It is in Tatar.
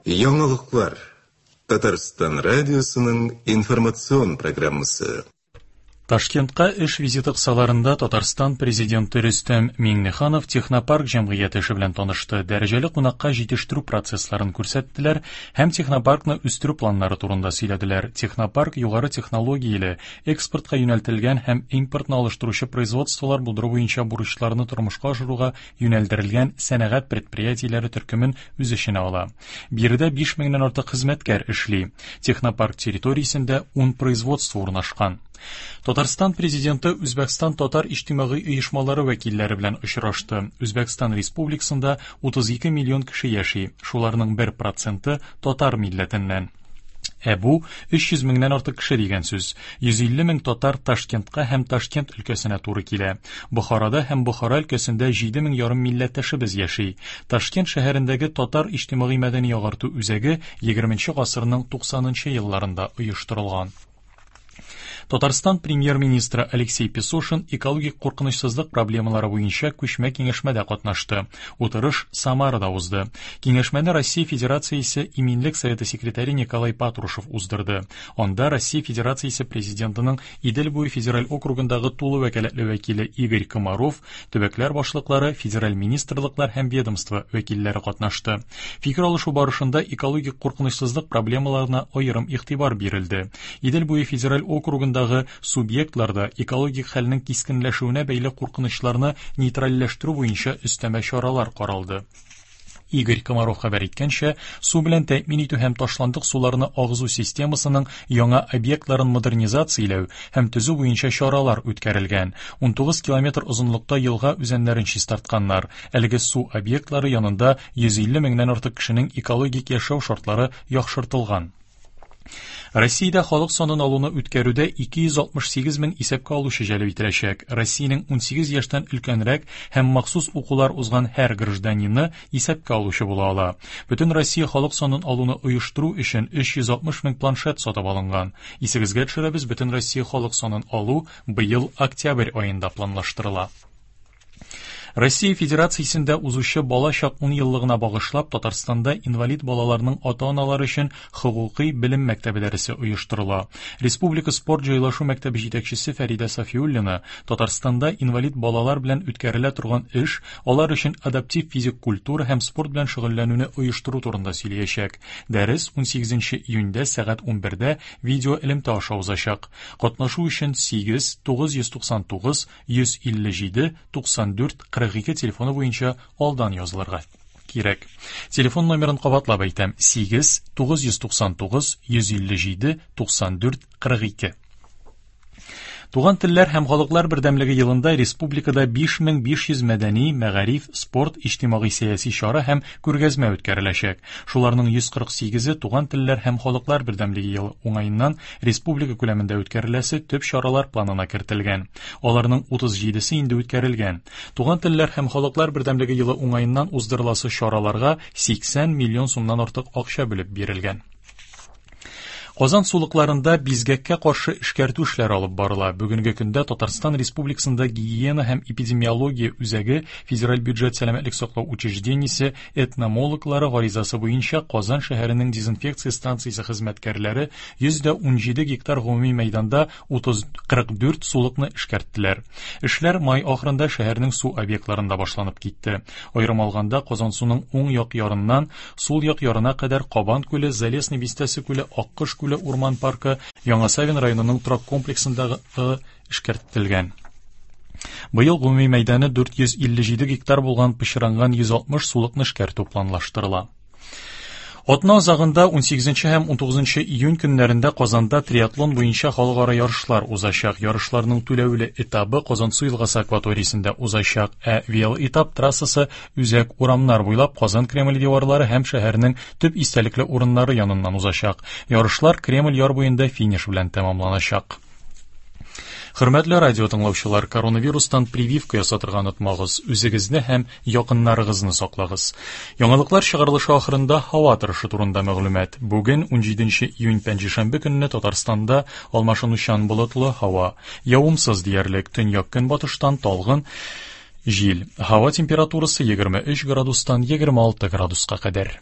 Яңалыклар. Татарстан радиосының информацион программасы. Ташкентка эш визиты кысаларында Татарстан президенты Рөстәм Миңнеханов Технопарк җәмгыяте эше белән танышты. Дәрәҗәле кунакка җитештерү процессларын күрсәттеләр һәм технопаркны үстерү планнары турында сөйләделәр. Технопарк югары технологияле, экспортка юнәлтелгән һәм импортны алыштыручы производстволар булдыру буенча бурычларны тормышка ашыруга юнәлдерелгән сәнәгать предприятиеләре төркемен үз эченә ала. Биредә 5 меңнән артык хезмәткәр эшли. Технопарк территориясендә 10 производство урнашкан. Татарстан президенты Үзбәкстан татар иҗтимагый оешмалары вәкилләре белән очрашты. Үзбәкстан Республикасында 32 миллион кеше яши, шуларның 1 проценты татар милләтеннән. Ә бу 300 меңнән артык кеше дигән сүз. 150 мең татар Ташкентка һәм Ташкент өлкәсенә туры килә. Бохарада һәм Бохара өлкәсендә 7 мең ярым милләттәшебез яши. Ташкент шәһәрендәге татар иҗтимагый мәдәни агарту үзәге 20 гасырның 90 нчы елларында оештырылган. Татарстан премьер-министры Алексей Песошин экологик куркынычсызлык проблемалары буенча күчмә киңәшмәдә катнашты. Утырыш Самарада узды. Киңәшмәне Россия Федерациясе Иминлек Советы секретаре Николай Патрушев уздырды. Анда Россия Федерациясе президентының Идел буе федераль округындагы тулы вәкаләтле вәкиле Игорь Комаров, төбәкләр башлыклары, федераль министрлыклар һәм ведомство вәкилләре катнашты. Фикер алышу барышында экологик куркынычсызлык проблемаларына аерым игътибар бирелде. Идел буе федераль округындагы субъектларда экологик хәлнең кискенләшүенә бәйле куркынычларны нейтральләштерү буенча өстәмә чаралар каралды. Игорь Комаров хәбәр иткәнчә, су белән тәэмин итү һәм ташландык суларны агызу системасының яңа объектларын модернизацияләү һәм төзү буенча чаралар үткәрелгән. 19 километр озынлыкта елга үзәннәрен чистартканнар. Әлеге су объектлары янында 150 меңнән артык кешенең экологик яшәү шартлары яхшыртылган. Россиядә халык санын алуны үткәрүдә 268 мең исәпкә алучы җәлеп ителәчәк. Россиянең 18 яшьтән өлкәнрәк һәм махсус укулар узган һәр гражданины исәпкә алучы була ала. Бөтен Россия халык санын алуны оештыру өчен 360 мең планшет сатып алынган. Исегезгә төшерәбез, бөтен Россия халык санын алу быел октябрь аенда планлаштырыла. Россия Федерациясендә узучы бала чак ун еллыгына багышлап Татарстанда инвалид балаларның ата-аналары өчен хокукый белем мәктәбе дәресе оештырыла. Республика спорт җайлашу мәктәбе җитәкчесе Фәридә Сафиуллина Татарстанда инвалид балалар белән үткәрелә торган эш, алар өчен адаптив физик культура һәм спорт белән шөгыльләнүне оештыру турында сөйләячәк. Дәрес 18 июньдә сәгать 11дә видеоэлемтә аша узачак. Катнашу өчен 8 999 157 94 42 телефоны буенча алдан язылырга кирәк. Телефон номерын кабатлап әйтәм: 8 999 157 94 42. Туган телләр һәм халыклар бердәмлеге елында республикада 5500 мәдәни, мәгариф, спорт, иҗтимагый-сәяси чара һәм күргәзмә үткәреләчәк. Шуларның 148-е Туган телләр һәм халыклар бердәмлеге елы уңаеннан республика күләмендә үткәреләсе төп чаралар планына кертелгән. Аларның 37-се инде үткәрелгән. Туган телләр һәм халыклар бердәмлеге елы уңаеннан уздырыласы чараларга 80 миллион сумнан артык акча бүлеп бирелгән. Казан сулыкларында бизгәккә каршы эшкәртү эшләре алып барыла. Бүгенге көндә Татарстан Республикасында гигиена һәм эпидемиология үзәге федераль бюджет сәламәтлек саклау учреждениесе этномологлары гаризасы буенча Казан шәһәренең дезинфекция станциясе хезмәткәрләре 117 гектар гомуми мәйданда 30, 44 сулыкны эшкәрттеләр. Эшләр май ахырында шәһәрнең су объектларында башланып китте. Аерым алганда, Казансуның уң як ярыннан сул як ярына кадәр Кабан күле, Залесный бистәсе күле, Аккош күле урман паркы, Яңа Савин районының торак комплексындагы эшкәртелгән. Быел гомуми мәйданы 457 гектар булган пычранган 160 сулыкны эшкәртү планлаштырыла. Атна азагында 18 һәм 19 июнь көннәрендә Казанда триатлон буенча халыкара ярышлар узачак. Ярышларның түләүле этабы Казансу елгасы акваториясендә узачак, ә велоэтап трассасы үзәк урамнар буйлап Казан Кремль диварлары һәм шәһәрнең төп истәлекле урыннары яныннан узачак. Ярышлар Кремль яр буенда финиш белән тәмамланачак. Хөрмәтле радио тыңлаучылар, коронавирустан прививка ясатырга онытмагыз. Үзегезне һәм якыннарыгызны саклагыз. Яңалыклар чыгарылышы ахырында һава торышы турында мәгълүмат. Бүген 17 июнь пәнҗешәмбе көнне Татарстанда алмашынучан болытлы һава. Явымсыз диярлек, төньяк-көнбатыштан талгын җил. Һава температурасы 23 градустан 26 градуска кадәр.